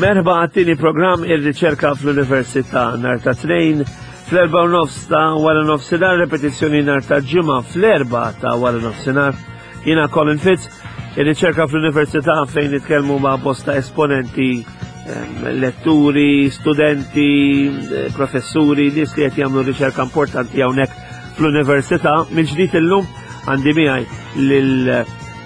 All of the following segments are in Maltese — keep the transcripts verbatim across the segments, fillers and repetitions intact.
Merħba għat-tieni programm ir-riċerka fl-Università nhar ta' Tnejn fl-erba' u nofs ta' wara nofsinhar, repetizzjoni nhar ta' Ġimgħa fl-erba' ta' wara nofsinhar. Jiena Colin Fitz, ir-riċerka fl-Università fejn nitkellmu ma' bosta esponenti, letturi, studenti, professuri, nies li qed jagħmlu riċerka importanti hawnhekk fl-Università. Mill-ġdid illum għandi miegħi lil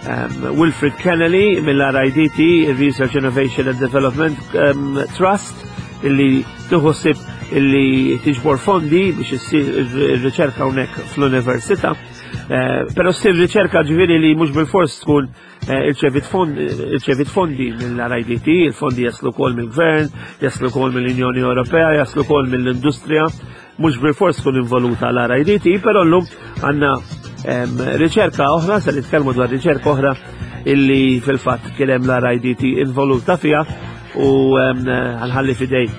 Um, Wilfred Kennelly mill-R I D T, Research Innovation and Development um, Trust, illi tuħsib illi tiġbor fondi biex issir ir-riċerka hawnhekk fl-università. Uh, Però ssir riċerka ġifieri li mhux bil-fors tkun uh, irċevit fondi mill-R I D T, il-fondi jaslu wkoll mill-gvern, jaslu wkoll mill-Unjoni Ewropea, jaslu wkoll mill-industrija, mhux bil-fors tkun involuta l-R I D T, però llum għandna riċerka oħra, se nitkellmu dwar riċerka oħra illi fil-fatt kien hemm l-R I D T involuta fiha u ħa nħalli f'idejn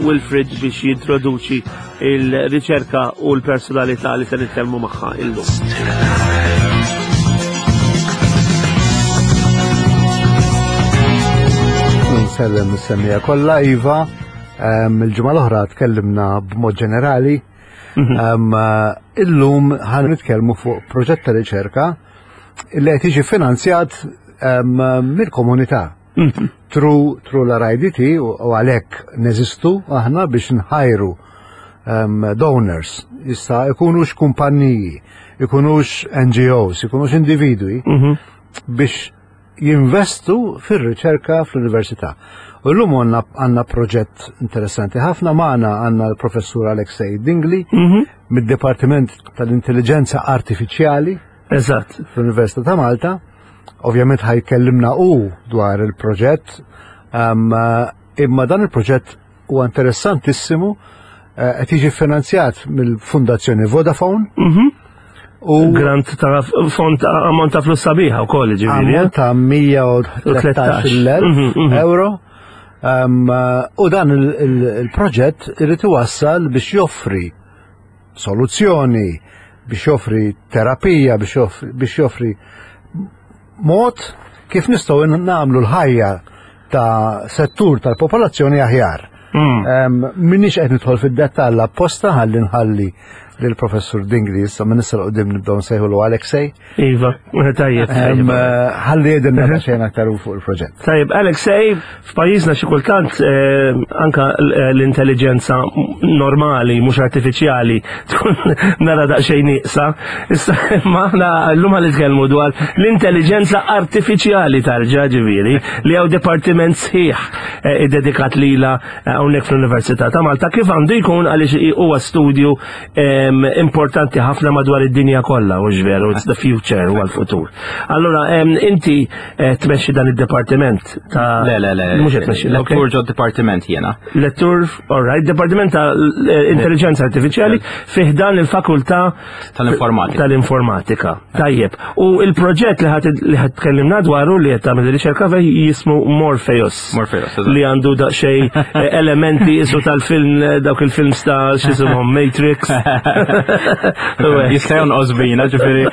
Wilfred biex jintroduċi il-riċerka u l-personalità li se nitkellmu magħha illum. Nsellem is-semmiegħa kollha, iva, il-ġimgħa l-oħra tkellimna b'mod ġenerali. Mhm. Illum ħa nitkellmu fuq proġett ta' riċerka li qed jiġi finanzjat mill-komunità. Mhm. Through through l-R I D T u għalhekk neżistu aħna biex nħajru donors, jista' ikunux kumpanniji, ikunux N G Os, ikunux individwi mhm. biex jinvestu fir-riċerka fl-università. U llum għandna għandna proġett interessanti ħafna magħna, għandna l-professur Alexei Dingli mm -hmm. mid-Dipartiment tal-Intelligenza Artifiċjali Eżatt. fl-Università ta' Malta. Ovvjament ħa jkellimna u dwar il-proġett, um, imma dan il-proġett huwa interessantissimu, eh, qed jiġi finanzjat mill-Fundazzjoni Vodafone. Mm -hmm. U grant ta' fond ammont ta' flus sabiħa wkoll ġifieri. Ammont ta' mija u tlettax-il elf mhm, mhm. euro. Um, u dan il-proġett irid iwassal biex joffri soluzzjoni, biex joffri terapija, biex joffri mod kif nistgħu nagħmlu l-ħajja ta' settur tal-popolazzjoni aħjar. Mm. Minix qed nidħol fid-dettall apposta ħalli nħalli lill-professur Dingli, issa minn issa qudiem nibdew nsejħulu Alexei. Iva, tajjeb. Ħalli jgħidilna xejn aktar fuq il-proġett. Tajjeb, Alexei, f'pajjiżna xi kultant eh, anka l-intelligenza normali, mhux artifiċjali, tkun nara daqsxejn nieqsa. Issa ma aħna llum ħa nitkellmu dwar l-intelligenza artifiċjali tarġa ġifieri li hawn dipartiment sħiħ eh, iddedikat lila eh, hawnhekk fl-Università ta' Malta, kif għandu jkun, għaliex huwa studju importanti ħafna madwar id-dinja kollha, u veru, it's the future, huwa l-futur. Allora, inti eh, tmexxi dan id-dipartiment ta' Le, le, le. Mhux qed tmexxi. Lettur ġo dipartiment jiena. Lettur, all right, Dipartiment ta' Intelligenza Artifiċjali fih dan il-Fakultà tal-Informatika. Tal-Informatika. Tajjeb. U il-proġett li ħa tkellimna dwaru, li qed tagħmel riċerka fih, jismu Morpheus. Morpheus. Li għandu daqsxejn eh, elementi isu tal-film, eh, dawk il-films ta' x'isimhom, Matrix. Jista' jonqos bina, ġifieri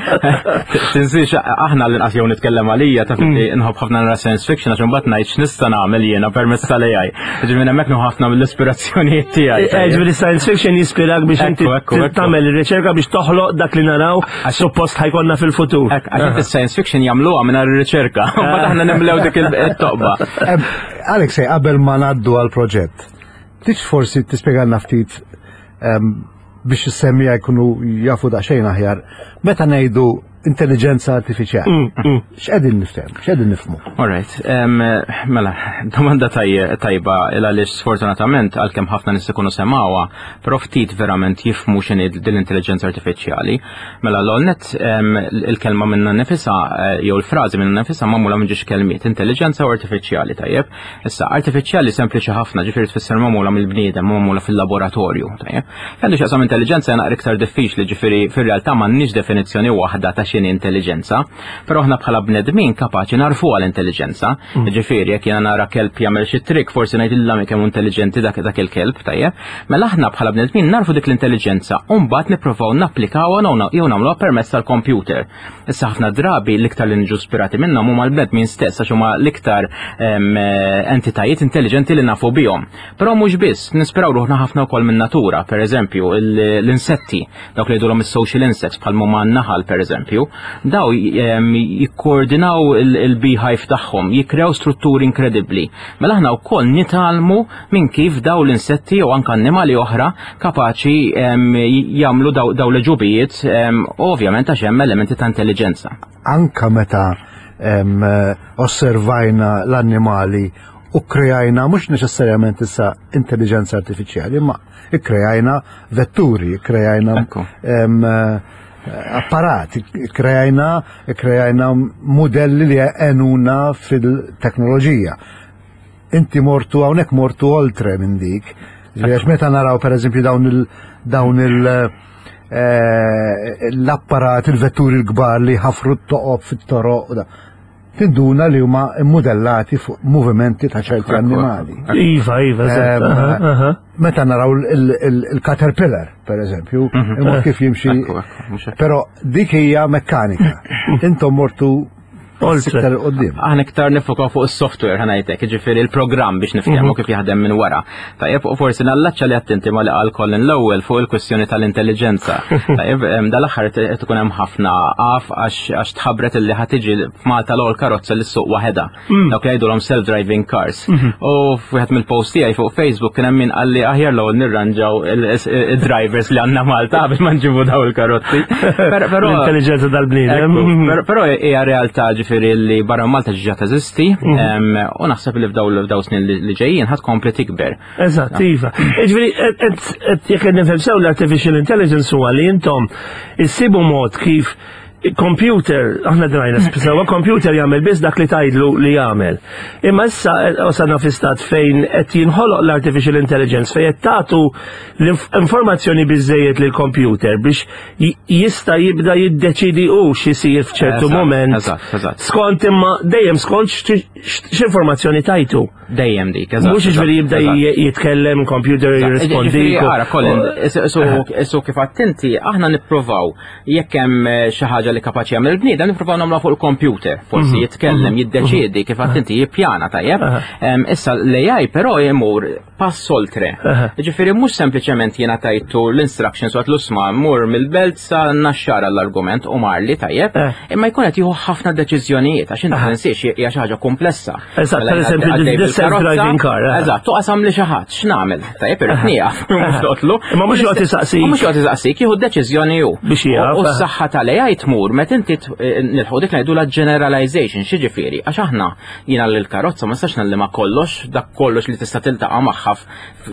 tinsiex aħna l-inqas jew nitkellem għalija ta' mm. nħobb ħafna nara science fiction għax imbagħad ngħid x'nista' nagħmel jiena permezz tal-A I. Ġifieri hemmhekk nieħu ħafna mill-ispirazzjonijiet tiegħi. Eh, ġifieri science fiction jispirak biex inti tagħmel ir-riċerka biex toħloq dak li naraw suppost ħa jkollna fil-futur. Għax is-science fiction jagħmluha mingħajr ir-riċerka, mbagħad aħna nimlew dik it-toqba. Alex, qabel ma ngħaddu għal-proġett, tix forsi tispjegalna ftit biex is-semmiegħa jkunu jafu daqsxejn aħjar. Meta ngħidu intelligenza artifiċjali. X'qegħdin niftehmu, x'qegħdin nifhmu? All right, mela, domanda tajba għaliex sfortunatament għalkemm ħafna nies ikunu semgħuha, però ftit verament jifhmu x'inhi din l-intelligenza artifiċjali. Mela l-għolnet il-kelma minna nifisha jew il-frażi minna nifisha magħmula minn ġiex kelmiet, intelligenza u artifiċjali, tajjeb. Issa, artifiċjali sempliċi ħafna, ġifieri tfisser magħmula mill-bniedem, magħmula fil-laboratorju, tajjeb. Għandu x'jaqsam intelligenza naqra iktar diffiċli, ġifieri fir-realtà m'għandniex definizzjoni waħda ta' x'inhi intelligenza, però aħna bħala bnedmin kapaċi narfu għal intelligenza. Mm. Ġifieri jekk jiena nara kelb jagħmel xi trick, forsi ngħid illa kemm intelligenti dak dak il-kelb, tajjeb. Mela aħna bħala bnedmin narfu dik l-intelligenza u mbagħad nippruvaw napplikawha jew nagħmluha permezz tal-computer. Issa ħafna drabi l-iktar li niġu spirati minnhom huma l-bnedmin stess għax huma l-iktar entitajiet intelligenti li nafu bihom. Però mhux biss, nispiraw ruħna ħafna wkoll minn natura, per eżempju l-insetti, dawk li jgħidulhom is-social insects bħal huma n-naħal per eżempju, daw jikkoordinaw il-beehive tagħhom, jikrew strutturi inkredibbli. Mela aħna wkoll nitgħallmu minn kif daw l-insetti u anke annimali oħra kapaċi jagħmlu daw l-ġubijiet, ovvjament għax hemm elementi ta' intelligenza. Anka meta osservajna l-annimali u krejajna mhux neċessarjament issa intelligenza artifiċjali, ma krejajna vetturi, krejajna apparat, krejajna krejajna modelli li għenuna fil-teknoloġija. Inti mortu hawnhekk mortu oltre minn dik. Għax meta naraw per eżempju dawn il dawn il eh, l-apparat, il-vetturi l-kbar li ħafru t-toqob fit-toroq, tinduna li huma immodellati fuq movimenti ta' ċerti annimali. Iva, iva, Meta naraw il-caterpillar, per eżempju, mhm. il-mod kif jimxi. Però dik hija mekkanika. Intom mortu iktar qoddim. Aħna iktar nifokaw fuq is-software ħa ngħidlek, jiġifieri il-programm biex niftehmu mhm. kif jaħdem minn wara. Tajjeb, u forsi nallaċċa li attenti ma li qal Colin l-ewwel fuq il-kwestjoni tal-intelligenza. Tajjeb, dal-aħħar tkun hemm ħafna għaf għax tħabbret illi ħa tiġi f'Malta l-ewwel karozza li ssuq waħedha. Mm. Dawk li jgħidulhom self-driving cars. Mhm. U f'wieħed mill-post tiegħi fuq Facebook kien hemm min qalli aħjar l-ewwel nirranġaw il-drivers li għandna Malta biex ma nġibu daw il-karozzi. L-intelligenza dal-bniedem. Però hija realtà ġifieri li barra Malta ġiġa teżisti mhm. u naħseb li f'daw f'daw snin li ġejjin ħa tkompli tikber. Eżatt, iva. Ġifieri jekk qed nifhem sew l-artificial intelligence huwa li intom issibu mod kif computer, aħna drajna sewa computer jagħmel biss dak li tgħidlu li jagħmel. Imma issa wasalna fi stat fejn qed jinħoloq l-artificial intelligence fejn qed tagħtu l-informazzjoni biżejjed lil computer biex jista' jibda jiddeċidi hu x'isir f'ċertu moment. Skont imma dejjem skont x'informazzjoni tajtu. Dejjem dik, eżatt. Mhux ġifieri jibda jitkellem computer jirrispondi. Ara, Colin, su kif attenti, aħna nippruvaw jekk hemm xi ħaġa li kapaċi jagħmel il-bniedem nippruvaw nagħmluha fuq il-computer. Forsi mhm. jitkellem, mhm. jiddeċiedi kif attenti jippjana tajjeb. Issa l-A I però jmur pass oltre. Ġifieri mhux sempliċement jiena tajtu l-instructions u għedtlu isma' mur mill-Belt sa Naxxar l-argument u marli tajjeb, eh. imma jkun qed jieħu ħafna deċiżjonijiet għax inti tinsiex hija xi ħaġa komplessa. Eżatt, per eżempju, self-driving car. Eh. Eżatt, tuqasam li xi ħadd, x'nagħmel? Tajjeb irid nieqaf, mhux toqtlu. Imma mhux joqgħod isaqsik. Mhux joqgħod isaqsik, jieħu d-deċiżjoni hu. Biex jaf. U s-saħħa tal-A I tmur meta inti nilħu dik ngħidu la generalization, x'jiġifieri, għax aħna jiena l-karozza ma nistax ngħallimha kollox, dak kollox li tista' tiltaqa' magħha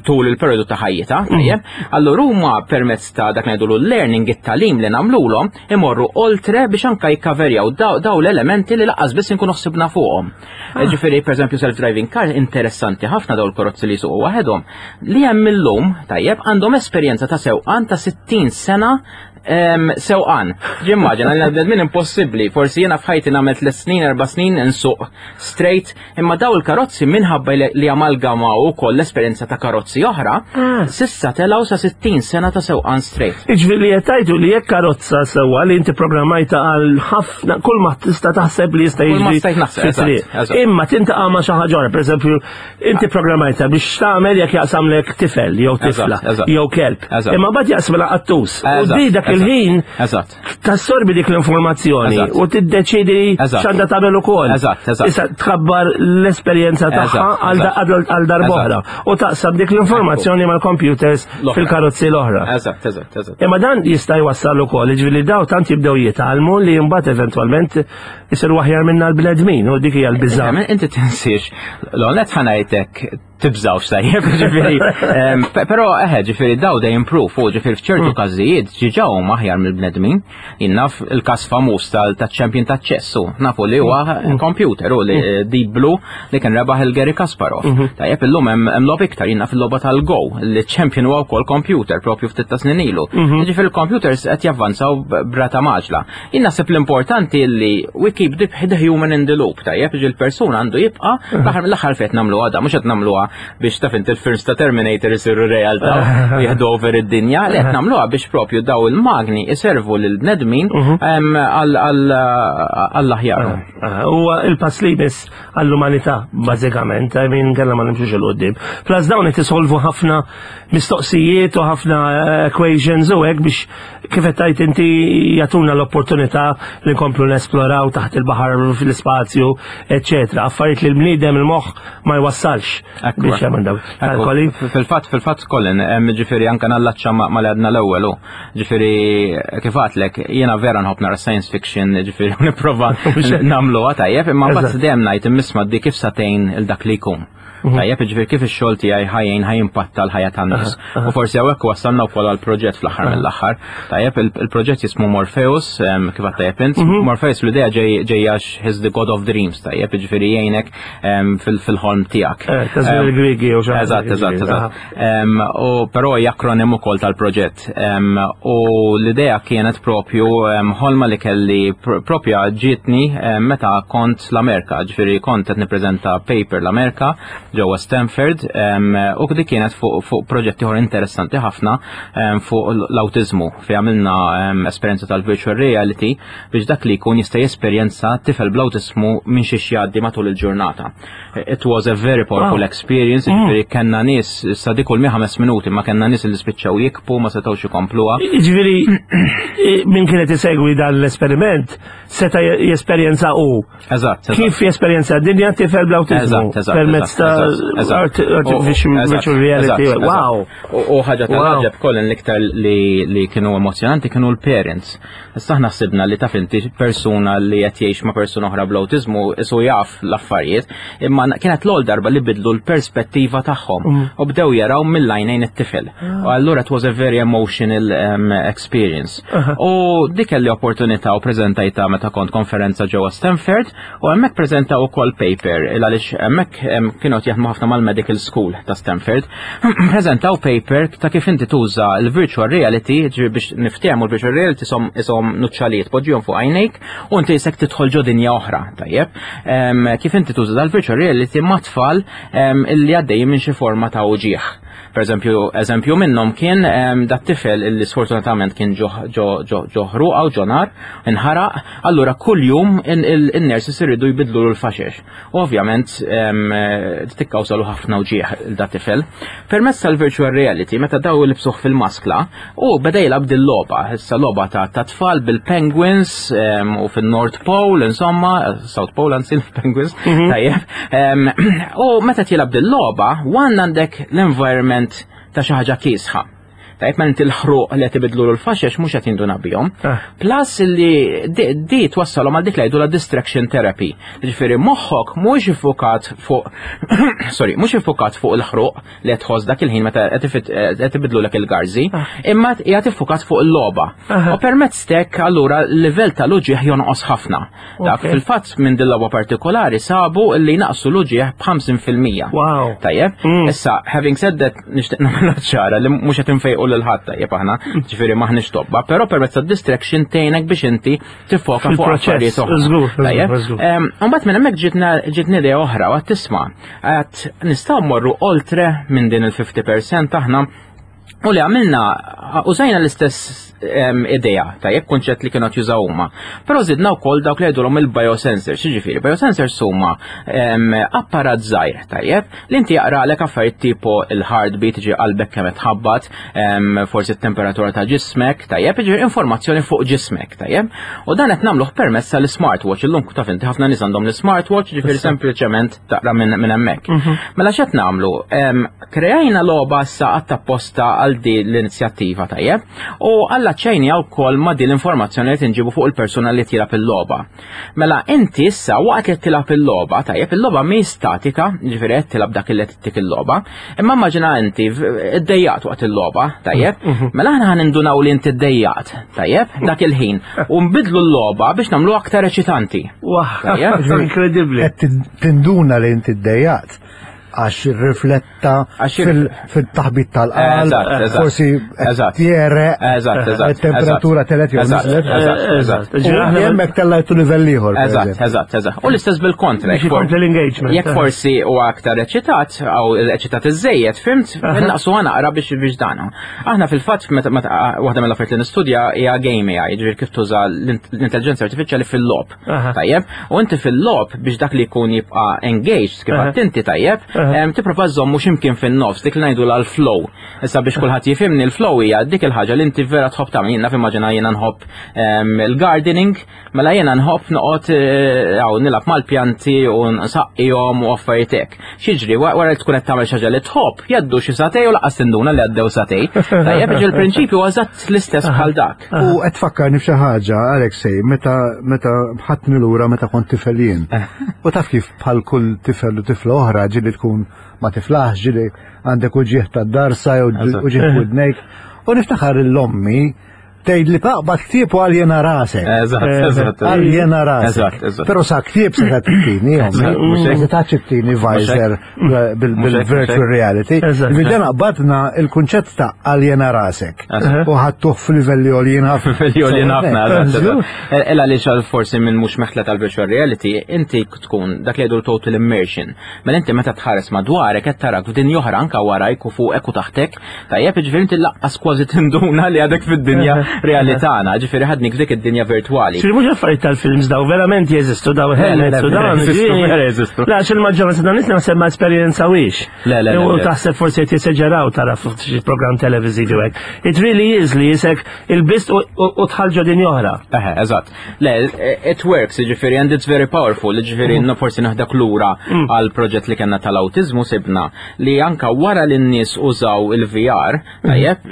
tul il-periodu ta' ħajjitha, mm. tajjeb. Allura huma permezz ta' dak ngħidu l-learning it-tagħlim li nagħmluhom imorru oltre biex anka jikkaverjaw daw l-elementi li lanqas biss inkunu ħsibna fuqhom. Ah. Ġifieri pereżempju self-driving car interessanti ħafna daw il-karozzi li jsuqu waħedhom li hemm illum tajjeb għandhom esperjenza ta' sewqan ta' sittin sena sewqan. Ġimmaġina, għal bnedmin impossibbli, forsi jiena f'ħajti nagħmel tliet snin, erba' snin insuq straight, imma daw il-karozzi minħabba li amalgamaw ukoll l-esperjenza ta' karozzi oħra, ah. s'issa telgħu sa sittin sena ta' sewqan straight. Iġifieri li qed li jekk karozza sewwa li inti programmajta għal ħafna kull ma tista' taħseb li jista' jiġri. Imma tintaqa' ma' xi ħaġa oħra, pereżempju, inti programmajta biex tagħmel jekk jaqsamlek tifel jew tifla jew kelb. Imma bad jaqsmela qattus. U di dak il-ħin Eżatt. tassorbi dik l-informazzjoni Eżatt. u tiddeċidi Eżatt. x'għandha tagħmel ukoll. Eżatt, eżatt. Issa tkabbar l-esperjenza tagħha Eżatt, għal da- eżatt. għal għal darb'oħra u taqsam dik l-informazzjoni mal-computers L-oħra. fil-karozzi l-oħra. Eżatt, eżatt, eżatt. Imma dan jista' jwassal ukoll, jiġifieri daw tant jibdew jitgħallmu li mbagħad eventwalment isiru aħjar minna l-bnedmin u dik hija l-biża'. Inti inti tinsiex, l-għonet ħa ngħidlek tibżawx tajjeb, ġifieri, em, pe- pero eħe, ġifieri daw they improve, u ġifieri f'ċertu każijiet ġiġa huma aħjar mill-bnedmin. Jien naf il-każ famuż tal-champion ta' ċess, u nafu li huwa computer u li Deep Blue li kien rebaħ il-Gary Kasparov. Tajjeb illum hemm hemm logħob iktar, jien naf il-logħba tal-Go, li champion huwa wkoll computer propju ftit ta' snin ilu. Ġifieri il-computers qed javvanzaw b'rata mgħaġġla. Jien naħseb l-importanti li we keep the, the human in the loop, tajjeb, ġi l-persuna għandu jibqa' l-aħħar mill-aħħar fejn nagħmluha da, mhux qed nagħmluha biex taf inti il-films ta' Terminator isiru realtà u jieħdu over id-dinja, li qed nagħmluha biex propju daw il-magni iservu lil bnedmin em, għal- għal- għall-aħjar. Ah, Huwa il-pass li jmiss għall-umanità, bażikament, I mean, kella ma nimxux 'il quddiem. Plus dawn qed isolvu ħafna mistoqsijiet u ħafna eh, equations u hekk biex kif qed tgħid inti jagħtuna l-opportunità li nkomplu nesploraw taħt il-baħar fl-ispazju, eċċetera. Affarijiet li l-bniedem il-moħħ ma jwassalx Ekku. biex jagħmel dawn. Kalkoli. Fil-fatt, fil-fatt Colin, hemm ġifieri anka nallaċċa ma ma li għadna l-ewwel u. Ġifieri kif għedtlek, jiena vera nħobb nara science fiction, ġifieri nipprova nagħmluha tajjeb, imma mbagħad Eżatt. dejjem ngħid immisma di kif satejn il dak li jkun. Tajjeb, ġifieri kif ix-xogħol tiegħi ħa jgħin ħa jimpatta l-ħajja tan-nies. U forsi hawnhekk wassalna wkoll għall-proġett fl-aħħar mill-aħħar. Tajjeb, il- il-proġett jismu Morpheus, em, kif għedt tajjeb int. Morpheus l-idea ġej ġejja he's the god of dreams, tajjeb, ġifieri jgħinek em, fil- fil-ħolm tiegħek. Eh, ta' żmien il-Griegi u xi ħaġa Eżatt, eżatt, ġifieri. eżatt. Em, U però hija akronim ukoll tal-proġett. Em, U l-idea kienet propju em, ħolma li kelli pr- propja ġietni em, meta kont l-Amerika, ġifieri kont qed nippreżenta paper l-Amerika ġewwa Stanford em, u dik kienet fuq fuq proġett ieħor interessanti ħafna em, fuq l-autizmu fi għamilna em, esperjenza tal-virtual reality biex dak li jkun jista' jesperjenza tifel bl-autizmu minn xi jgħaddi matul il-ġurnata. It was a very powerful Wow. experience, ġifieri kellna nies sa dik kull ħames minuti ma kellna nies li spiċċaw jibku ma setgħux ikompluha. Ġifieri, min kienet isegwi dan l-esperiment seta jesperjenza u Eżatt, eżatt. kif jesperjenza dinja tifel bl-autizmu Eżatt, eżatt. permezz ta' eżatt, eżatt. art- artificial U- eżatt, virtual reality. eżatt, eżatt. Wow. U u ħaġa Wow. tal-ħaġa Colin l-iktar li, li kienu emozjonanti kienu l-parents. Issa aħna ħsibna li taf inti persuna li qed jgħix ma' persuna oħra bl-autizmu isu jaf l-affarijiet, imma kienet l-ewwel darba li bidlu l-perspettiva tagħhom Mm. u bdew jaraw mill-għajnejn it-tifel. U allura it was a very emotional um, experience. U dik kelli opportunità u preżentajta meta kont konferenza ġewwa Stanford u hemmhekk preżentaw ukoll paper il għaliex hemmhekk em, kienu qed jaħdmu ħafna mal-medical school ta' Stanford. Preżentaw paper ta' kif inti tuża l-virtual reality, ġifieri biex niftehmu l-virtual reality isom isom nuċċalijiet poġġihom fuq għajnejk u inti jisek tidħol ġo dinja oħra, tajjeb. Em, Kif inti tuża dal-virtual reality ma' tfal em, illi għaddejjin minn xi forma ta' uġieħ. Per eżempju, eżempju minnhom kien em, dat tifel illi sfortunatament kien ġo ġo ġo ġo ħruqa u ġo nar, inħaraq, allura kuljum in-nurses iridu jbidlu l-faxex. U ovvjament em, eh, tikkawżalu ħafna uġieħ il dat tifel. Permezz tal-virtual reality, meta daw libsuh fil-maskla, u beda jilgħab dil-logħba, issa logħba ta' ta' tfal bil-penguins em, u fil-North Pole, insomma, South Pole anzi il-penguins, tajjeb. Em, U meta tilgħab dil-logħba, wan għandek l-environment ta' xi ħaġa kiesħa. Tajjeb, ma inti l-ħruq li qed ibidlu l-faxex mhux qed jinduna bihom. Ah. Plus li di, di twassalhom għal dik li jgħidu la distraction therapy. Ġifieri moħħok mhux iffukat fuq sorry, mhux iffukat fuq il-ħruq li qed tħoss dak il-ħin meta qed ifit- qed ibidlulek il-garżi, imma qiegħed iffukat fuq il-logħba. Aha. U permezz t'hekk allura l-livell tal-uġieħ jonqos ħafna. Dak Ok. fil-fatt minn din logħba partikolari sabu li naqsu l-uġieħ b'ħamsin fil-mija. Wow. Tajjeb, Mm. issa, having said that, nixtieq nagħmel ċara li mhux qed infejqu lil ħadd tajjeb aħna, ġifieri maħniex tobba, però permezz tad-distraction tgħinek biex inti tiffoka fuq Fil-proċess, affarijiet oħra. żgur, żgur, Tajjeb? żgur. Em, Mbagħad minn hemmhekk ġitna ġitni idea oħra u għedt tisma' għedt nistgħu mmorru oltre minn din il-fifty percent aħna. U li għamilna, użajna l-istess idea, tajjeb, kunċett li kienu jużaw huma. Però żidna wkoll dawk li jgħidulhom il-biosensors, jiġifieri biosensors huma apparat żgħir, tajjeb, li inti jaqralek affarijiet tipo il-heartbeat, ġi qalbek kemm tħabbat, forsi t-temperatura ta' ġismek, tajjeb, ġi informazzjoni fuq ġismek, tajjeb. U dan qed nagħmluh permezz tal-smartwatch, illum taf inti ħafna nies għandhom l-smartwatch, ġifieri sempliċement taqra minn hemmhekk. Mhm. Mela x'qed nagħmlu? Kreajna logħba issa apposta għal di l-inizjattiva, tajjeb, u allaċċejnieha wkoll ma' di l-informazzjoni li tinġibu fuq il-persuna li tilgħab il-logħba. Mela inti issa waqt li tilgħab il-logħba, tajjeb, il-logħba mi statika, ġifieri qed tilgħab dak li ttik il-logħba, imma immaġina inti iddejjaqt waqt il-logħba, tajjeb, mhm. mela aħna ħa nindunaw li inti ddejjaqt, tajjeb, dak il-ħin, u nbidlu l-logħba biex nagħmlu aktar eċitanti. Inkredibbli. Tinduna li inti ddejjaqt għax rifletta fil-taħbit tal-qalb, forsi tjere, temperatura telgħet jew niżlet. Eżatt. Hemmhekk tellajtu livell ieħor. Eżatt, eżatt, eżatt. U l-istess bil-kontra. Jekk forsi u aktar eċitat, jew eċitat iżejjed, fhimt, naqsu naqra biex biex dana. Aħna fil-fatt waħda mill-affarijiet li nistudja hija game A I, ġifieri kif tuża l-intelligenza artifiċjali fil-logħob. Tajjeb, u inti fil-logħob biex dak li jkun jibqa' engaged kif inti, tajjeb, tipprova żommu x'imkien fin-nofs, dik li ngħidu l-flow. Issa biex kulħadd jifhimni, l-flow hija dik il-ħaġa li inti vera tħobb tagħmel. Jiena immaġina jiena nħobb il-gardening, mela jiena nħobb noqgħod hawn eh, nilgħab mal-pjanti u nsaqqihom u affarijiet hekk. X'jiġri wara li tkun qed tagħmel xi ħaġa li tħobb, jgħaddu xi sagħtejn u lanqas tinduna li għaddew sagħtejn. Tajjeb, ġi l-prinċipju eżatt l-istess bħal dak. U qed tfakkarni f'xi ħaġa, Alexej, meta meta ħadtni lura meta kont tifel jien. U taf kif bħal kull tifel u tifla oħra ġieli tkun ma tiflaħx, ġieli għandek uġigħ ta' darsa jew uġigħ widnejk. U niftakar l-ommi tgħid li taqbad ktieb u aljena rasek. Eżatt, eżatt. Aljena rasek. Eżatt, eżatt. Però sa ktieb se tittini, ommi. Se taċ-tini visor bil-virtual reality. Bidena qbadna il-kunċett ta' aljena rasek. U ħadtuh f'livelli għoljin ħafna. Livelli għoljin ħafna, eżatt. Ella li xal forsi minn mhux meħtla tal-virtual reality, inti tkun dak li jgħidu total immersion. Mela inti meta tħares madwarek qed tarak f'dinja oħra, anka warajk u fuqek u taħtek, tajjeb, ġifieri inti lanqas kważi tinduna li għadek fid-dinja reali tagħna, ġifieri ħadnik f'dik id-dinja virtuali. Ġifieri mhux affarijiet tal-films daw, verament jeżistu daw helmets u dawn. Jeżistu. La, il-maġġoranza dan nies naħseb ma esperjenzawhiex. Le, le, U taħseb forsi qed jeseġeraw tara f'xi programm televiżivi hekk. It really is li jisek il-bist u tħalġo din oħra. Eħe, eżatt. Le, it works, ġifieri, and it's very powerful, ġifieri, mm. forsi naħdak lura mm. għal proġett li kellna tal-autizmu, sibna li anka wara li n-nies użaw il-V R, tajjeb,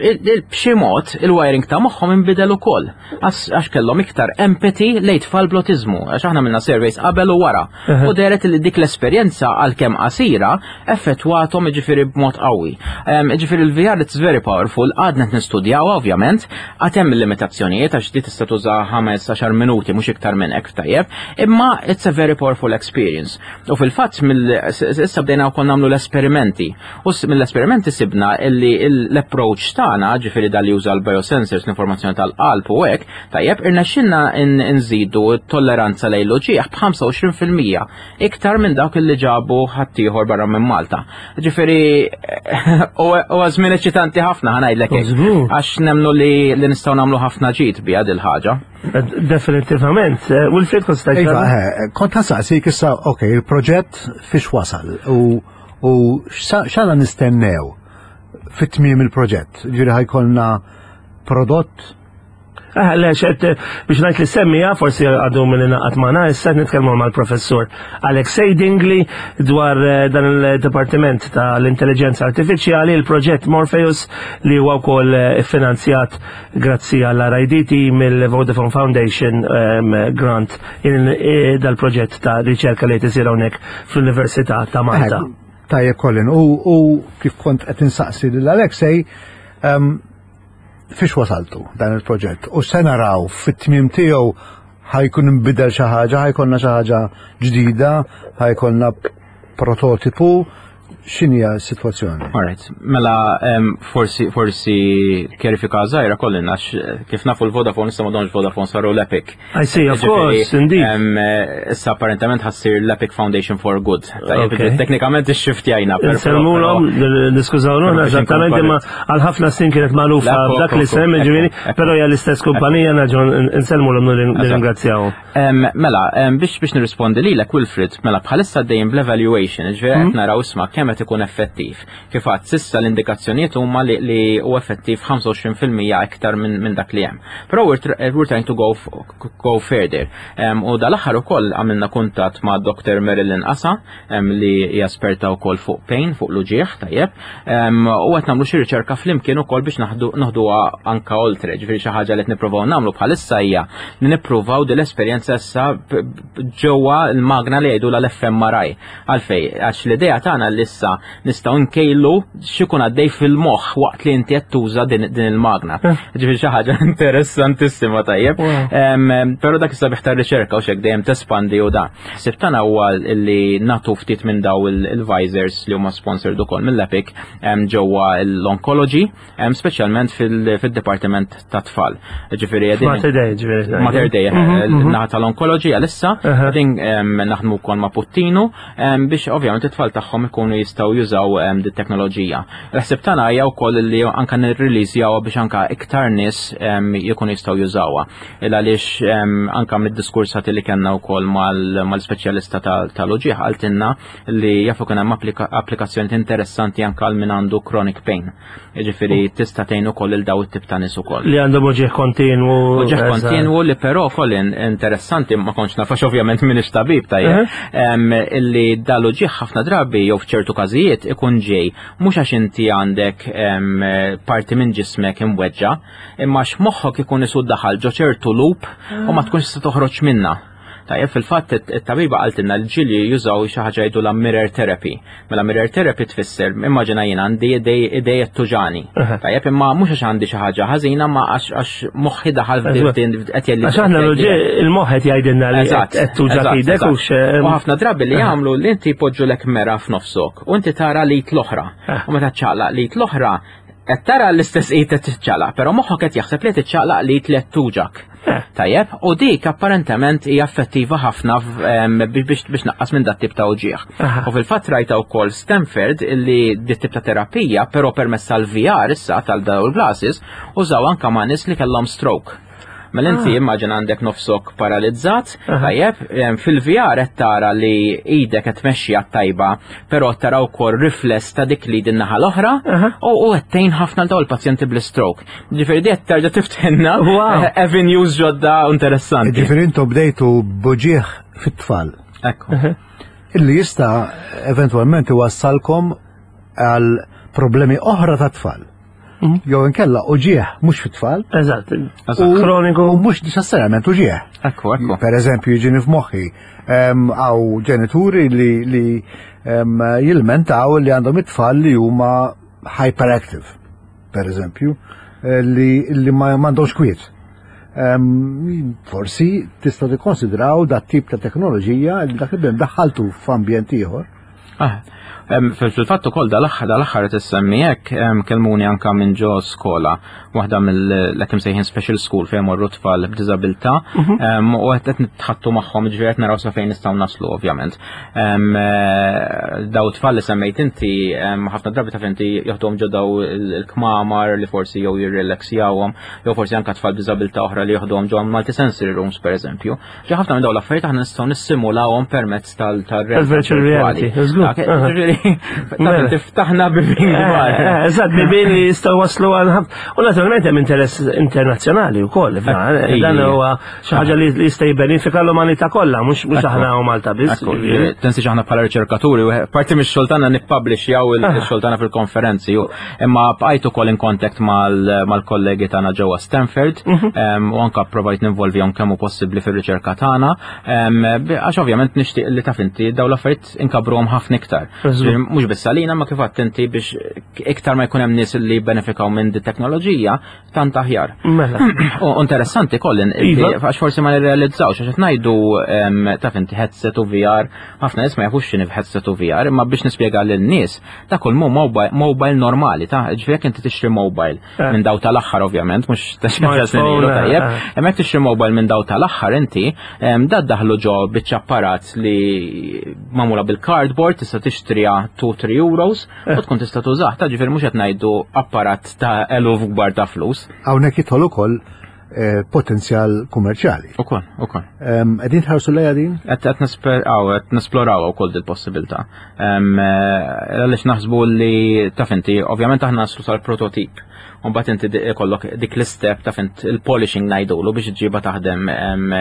b'xi mod il-wiring ta' moħħhom inbidel ukoll. Għax kellhom iktar empathy lejn tfal bl-autizmu, għax aħna għamilna surveys qabel u wara. U dehret li dik l-esperjenza, għalkemm qasira, effettwathom ġifieri b'mod qawwi. Ġifieri il-V R, it's very powerful, għadna nistudjaw ovvjament, għad hemm limitazzjonijiet għax di tista' tuża ħames għaxar minuti, mhux iktar minn hekk, tajjeb, imma it's a very powerful experience. U fil-fatt issa bdejna wkoll nagħmlu l-esperimenti. U mill-esperimenti sibna illi l-approach tagħna, ġifieri dal juża l-biosensors, l-informazzjoni tal-qalb u hekk, tajjeb, irnexxinna nżidu t-tolleranza lejn l-uġigħ b'ħamsa u għoxrin fil-mija iktar minn dawk li ġabu ħaddieħor barra minn Malta. Ġifieri u żmien eċitanti ħafna, ħa ngħidlek, għax nemnu li nistgħu nagħmlu ħafna ġid biha dil ħaġa. Definitivament. Wilfred, kont stajt. Iva, kont ħa nsaqsik issa, ok, il-proġett fiex wasal u u x'għandna nistennew fit-tmiem il-proġett? Ġifieri ħa jkollna prodott? Ah, le, xed, biex ngħid li semmija, forsi għadu minn ingħaqad magħna, issa nitkellmu mal-professur Alexei Dingley dwar eh, dan il-Dipartiment tal-Intelligenza Artifiċjali, il-proġett Morpheus li huwa wkoll eh, finanzjat grazzi għall-R I D T mill-Vodafone Foundation um, grant in, eh, dal-proġett ta' riċerka li tisir hawnhekk fl-Università ta' Malta. Tajjeb, Colin, u, u kif kont qed insaqsi lil Alexei, um, fiex wasaltu dan il-proġett u se naraw fit-tmiem tiegħu, ħa jkun inbidel xi ħaġa, ħa jkollna xi ħaġa ġdida, ħa jkollna prototipu, X'inhi s-sitwazzjoni? Alright, mela em, forsi forsi kjarifika żgħira kollin għax eh, kif nafu l-Vodafone issa m'għadhomx Vodafone, saru l-Epic. I see, of course, indeed. Em, eh, Issa apparentement ħa ssir l-Epic Foundation for Good. Tajjeb, Okay. teknikament ixxiftjajna. per- Insellmulhom, niskużaw Però ruħna, biex inkun eżattament, imma għal ħafna snin kienet magħrufa Ekku, b'dak ekku, l-isem, ekku, ġifieri, ekku. però hija l-istess kumpanija, naġun insellmulhom, nirringrazzjawhom. Em, Mela, em, biex biex nirrispondi lilek, Wilfred, mela bħalissa dejjem bl-evaluation, ġifieri qed naraw isma' kemm qed ikun effettiv. Kif għad s'issa l-indikazzjonijiet huma li, li hu effettiv ħamsa u għoxrin fil-mija iktar minn min dak li hemm. Però we're, tr- we're trying to go, f- go further. Em, u dal-aħħar ukoll għamilna kuntatt ma' Doctor Marilyn Asa, em, li hija esperta wkoll fuq pain, fuq l-uġieħ, tajjeb. Em, u qed nagħmlu xi riċerka flimkien ukoll biex naħdu naħduha anka oltre, ġifieri xi ħaġa li qed nippruvaw nagħmlu bħalissa hija li nippruvaw din l-esperjenza issa b- b- ġewwa l-magna li jgħidu l-F M R I. Għalfej, għax l-idea tagħna li issa nistgħu nkejlu x'ikun għaddej fil-moħħ waqt li inti qed tuża din, din il-magna. Ġifieri xi ħaġa interessantissima, tajjeb. Wow. Em, Però dak is-sabiħ tar-riċerka u xek dejjem tespandi u da. Ħsieb tagħna huwa li nagħtu ftit minn daw il- il-visors li huma sponsored ukoll mill-Epic em, ġewwa l-oncology, em, speċjalment fil- fil-dipartiment ta' tfal. Ġifieri qegħdin Mater Dei, ġifieri. Mater Dei, naħa tal-oncology għalissa, Aha. qegħdin em, naħdmu wkoll ma' Puttinu em, biex ovvjament it-tfal tagħhom ikunu jistgħu jużaw em, dit teknoloġija. L-ħsieb tagħna hija wkoll li anka nirreleasjawha biex anka iktar nies em, jkunu jistgħu jużawha. Il għaliex em, anka mid-diskursati li kellna wkoll mal- mal-speċjalista tal- tal-uġieħ qaltilna li jafu kien hemm applika- applikazzjoni interessanti anka għal min għandu chronic pain. Jiġifieri tista' tgħin ukoll il daw it-tip ta' nies ukoll. Li għandhom uġieħ kontinwu. Uġieħ eżatt. kontinwu li però Colin interessanti, ma kontx nafx, ovvjament minix tabib, tajjeb, em, illi dal-uġieħ ħafna drabi jew f'ċertu każijiet ikun ġej mhux għax inti għandek em, parti minn ġismek imweġġa, imma għax moħħok ikun isud daħal ġo ċertu loop u ma tkunx se toħroġ minna. Tajjeb, fil-fatt it-tabiba qaltilna l-ġili jużaw xi ħaġa jgħidu la mirror therapy. Mela mirror therapy tfisser, immaġina jien għandi idej tuġgħuni. Tajjeb, imma mhux għax għandi xi ħaġa ħażina, ma għax għax moħħi daħal f'din qed jgħidli. Għax aħna il-moħħ qed jgħidilna li qed tuġgħak idek u U ħafna drabi li jagħmlu li inti jpoġġulek mera f'nofsok u inti tara l-id l-oħra. U meta ċaqlaq l-id l-oħra qed tara l-istess id qed tiċċaqlaq, però moħħok qed jaħseb li tiċċaqlaq l-id li qed tuġgħak. Tajjeb, u dik apparentement hija effettiva ħafna biex biex naqqas minn dat tip ta' uġieħ. U fil-fatt rajta wkoll Stanford illi dit tip ta' terapija, però permezz tal-V R issa tal-daw il-glasses, użaw anka ma' nies li kellhom stroke. Mela inti immaġina għandek nofsok paralizzat, tajjeb, fil-V R qed tara li idek qed tmexxi tajba, però tara wkoll rifless ta' dik li din naħa l-oħra u qed tgħin ħafna l dawn il-pazjenti bl-stroke. Ġifieri di qed terġa' tiftħilna avenues ġodda interessanti. Ġifieri intom bdejtu b'uġieħ fit-tfal. Ekku. Illi jista' eventwalment iwassalkom għal problemi oħra ta' tfal. Jew inkella uġieħ mhux fit-tfal. Eżatt. Kroniku. U mhux neċessarjament uġieħ. Ekku, ekku. Per eżempju, jiġini f'moħħi għaw ġenituri li, li jilmentaw li għandhom it-tfal li huma hyperactive, per eżempju, li, li ma m'għandhomx kwiet. Forsi tista' tikkonsidraw dat tip ta' teknoloġija li dak li daħħaltu f'ambjent ieħor. Ah, fil-fatt ukoll dal-aħħar dal-aħħar tissemmi hekk, kelmuni anka minn ġo skola, waħda mill-hekk imsejħin special school fejn morru tfal b'diżabilità, mhm. u qed nitħattu magħhom, ġifieri qed naraw sa fejn nistgħu naslu ovvjament. Eh, daw tfal li semmejt inti ħafna drabi taf inti joħduhom ġo daw il-kmamar li forsi jew jirrelaxjawhom, jew forsi anka tfal b'diżabilità oħra li joħduhom ġo multisensory rooms, pereżempju. Ġi ħafna minn dawn l-affarijiet aħna nistgħu nissimulawhom permezz tal-virtual reality. Tiftaħna bibien kbar. Eh, eh, eżatt, bibien li jistgħu waslu għal U naturalment hemm interess internazzjonali wkoll. Dan huwa xi ħaġa li jista' jibbenifika l-umanità kollha, mhux aħna u Malta biss. Tinsiex aħna bħala riċerkaturi, parti mix-xogħol tagħna nippublishjaw il-xogħol tagħna fil-konferenzi, imma bqajt ukoll in contact mal-kollegi tagħna ġewwa Stanford mhm. u anka provajt ninvolvihom kemm hu possibbli fir-riċerka tagħna, għax ovvjament nixtieq li taf inti dawn l-affarijiet inkabruhom ħafna. ħafna iktar. Mhux biss għalina ma kif attenti biex iktar ma jkun hemm nies li jibbenefikaw minn di teknoloġija tant aħjar. Mela. U interessanti Colin, Iva. għax forsi ma nirrealizzawx, għax qed ngħidu taf inti headset u V R, ħafna nies ma jafux x'inhi headset u V R, imma biex nispjega lin-nies, ta' kull mu mobile normali, ta' ġifieri jekk inti tixtri mobile Eh. minn daw tal-aħħar ovvjament, mhux ta' xi Smartphone, tajjeb, eh. hemmhekk tixtri mobile minn daw tal-aħħar inti, da daħlu ġo biċċa apparat li magħmula bil-cardboard, tista' tixtriha two three euros u tkun tista' tużah, ta' ġifieri mhux qed ngħidu apparat ta' eluf kbar ta' flus. Hawnhekk jidħol ukoll eh, potenzjal kummerċjali. Ukoll, ukoll. Qegħdin tħarsu lejha din? Qed qed nisper- aw, qed nesploraw ukoll dil-possibilità. Em, eh, Għaliex naħsbu li taf inti, ovvjament aħna naslu sal-prototip. U mbagħad inti di- ikollok dik l-istep taf int il-polishing ngħidulu biex ġiba taħdem em,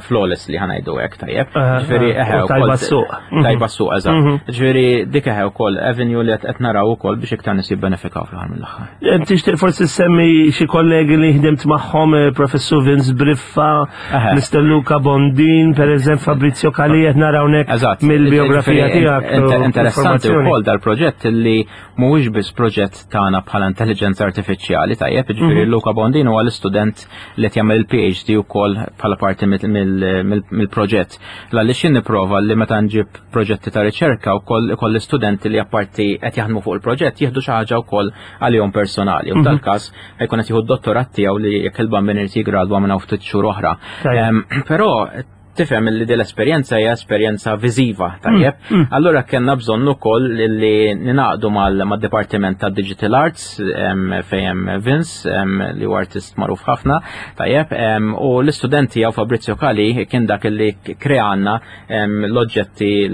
flawlessly ħa ngħidu hekk tajjeb. Eh, Ġifieri eh, eħe u tajba ukoll- s-suq. Tajba s-suq, eżatt. Mhm. Ġifieri dik eħe wkoll avenue li qed qed naraw ukoll biex iktar nies jibbenefikaw fl-aħħar mill-aħħar. Eh, Tixtieq forsi semmi xi kollegi li ħdimt magħhom, eh, Professur Vince Briffa, Eħe. Mister Luca Bondin, per eżempju Fabrizio Cali, qed naraw hawnhekk Eżatt. mill-biografija Ġifieri, tiegħek. int- u Interessanti informazzjoni. wkoll dal-proġett li mhuwiex biss proġett tagħna bħala intelligenza artifiċjali, tajjeb, ġifieri Mhm. Luca Bondin huwa l-istudent li qed jagħmel il-P H D wkoll bħala parti mill- mill- mill- mill-proġett. Għaliex jien nipprova li meta nġib proġetti ta' riċerka wkoll ikoll l-istudenti li apparti qed jaħdmu fuq il-proġett jieħdu xi ħaġa wkoll għalihom personali. U Mhm. f'dal-każ ħajkun qed jieħu d-dottorat tiegħu li jekk il-Bambin irid jigradwa minn hawn ftit xhur oħra. Tajjeb. Em, Però tifhem li din l-esperjenza hija esperjenza viżiva, tajjeb. Allura kellna bżonn ukoll li ninaqdu mal-Dipartiment ta' Digital Arts em, fejn hemm Vince em, li huwa artist magħruf ħafna, tajjeb, em, u l-istudenti jew Fabrizio Cali kien dak li kreanna em, l-oġġetti,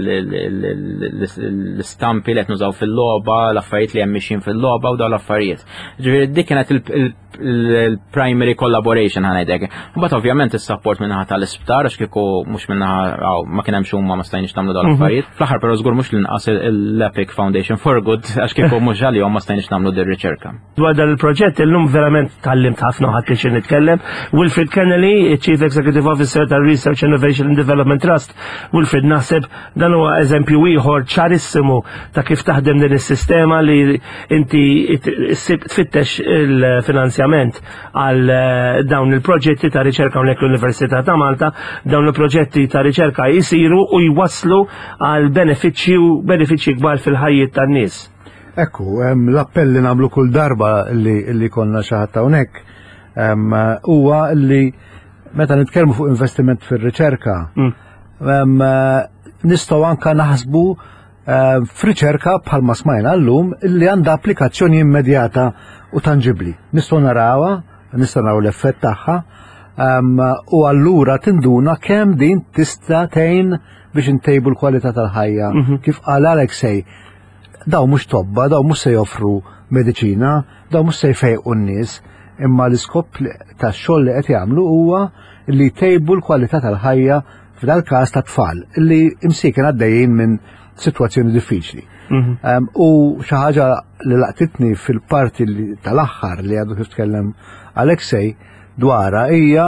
l-istampi li qed nużaw fil-logħba, l-affarijiet li hemm mixjin fil-logħba u dawn l-affarijiet. Ġifieri dik kienet il- il- il-primary collaboration ħa ngħidlek. Mbagħad ovvjament is-support minnaħa tal-isptar għax kieku mhux minnaħa aw, ma kien hemm huma ma stajniex nagħmlu dawn l-affarijiet. Fl-aħħar però żgur mhux l-inqas l-Epic Foundation for Good għax kieku mhux għalihom ma stajniex nagħmlu din riċerka. Dwar dan il-proġett illum verament tgħallimt ħafna u ħadt pjaċir nitkellem. Wilfred Kennelly, Chief Executive Officer tal Research Innovation and Development Trust. Wilfred, naħseb dan huwa eżempju ieħor ċarissimu ta' kif taħdem din is-sistema li inti issib tfittex il-finanzjament għal eh, dawn il-proġetti ta' riċerka hawnhekk l-Università ta' Malta. Dawn il-proġetti ta' riċerka jisiru u jwasslu għal benefiċċju benefiċċji kbar fil-ħajjiet tan-nies. Ekku, em, l-appell li nagħmlu kull darba li, li konna xi ħadd hawnhekk em, huwa li meta nitkellmu fuq investiment fir-riċerka, Mm. em, nistgħu anka naħsbu em, f'riċerka bħalma smajna llum li għandha applikazzjoni immedjata u tangibli. Nistgħu narawha, nistgħu naraw l-effett tagħha, em, u allura tinduna kemm din tista' tgħin biex intejbu l-kwalità tal-ħajja. Kif qal Alexej, daw mhux tobba, daw mhux se joffru mediċina, daw mhux se jfejqu n-nies, imma l-iskop li- tax-xogħol li qed jagħmlu huwa li jtejbu l-kwalità tal-ħajja f'dal każ ta' tfal li imsieken għaddejjin minn sitwazzjoni diffiċli. Um, u xi ħaġa li laqtitni fil-parti li tal-aħħar li għadu kif tkellem Alexej dwarha hija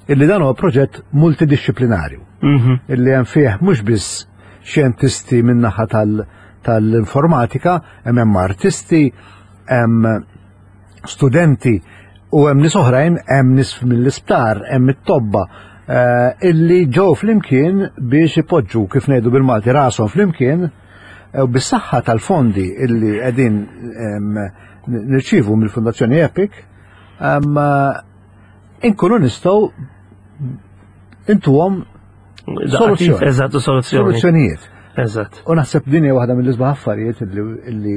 illi dan huwa proġett multidisciplinarju Mhm. illi hemm fih mhux biss xjentisti min-naħa tal- tal-informatika, hemm hemm artisti, hemm studenti u hemm nies oħrajn, hemm nies mill-isptar, hemm it-tobba eh, illi ġew flimkien biex ipoġġu kif ngħidu bil-Malti rashom flimkien eh, u bis-saħħa tal-fondi illi qegħdin em, nirċievu mill-Fundazzjoni Epic em, inkunu nistgħu intuhom Soluzzjoni. Eżatt, soluzzjoni. Soluzzjonijiet. Eżatt. U naħseb din hija waħda mill-isbaħ affarijiet illi illi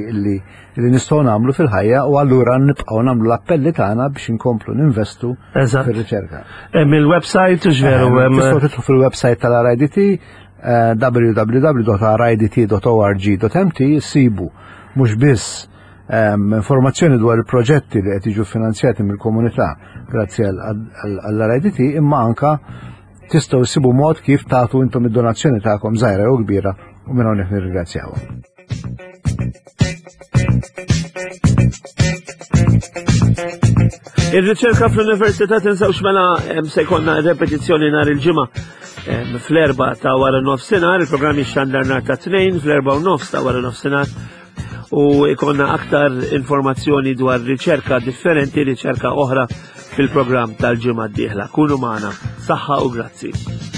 illi nistgħu nagħmlu fil-ħajja u allura nibqgħu nagħmlu l-appelli tagħna biex inkomplu ninvestu Eżatt. fir-riċerka. Hemm il-website u x'veru hemm. Tistgħu tidħlu fil-website tal-R I D T eh, w w w punt r i d t punt org punt m t sibu mhux biss ehm, informazzjoni dwar il-proġetti li qed jiġu finanzjati mill-komunità grazzi għall-R I D T imma anka tistgħu ssibu mod kif tagħtu intom id-donazzjoni tagħkom żgħira jew kbira u minn hawnhekk nirringrazzjawhom. Ir-riċerka fl-Università tinsawx mela em, se jkollna repetizzjoni nhar il-ġimgħa fl-erbgħa ta' wara nofsinhar, il-programm jixxandar nhar ta' Tnejn fl-erbgħa u nofs ta' wara nofsinhar u ikonna aktar informazzjoni dwar riċerka differenti, riċerka oħra fil-programm tal-ġimgħa d-dieħla. Kunu magħna, saħħa u grazzi.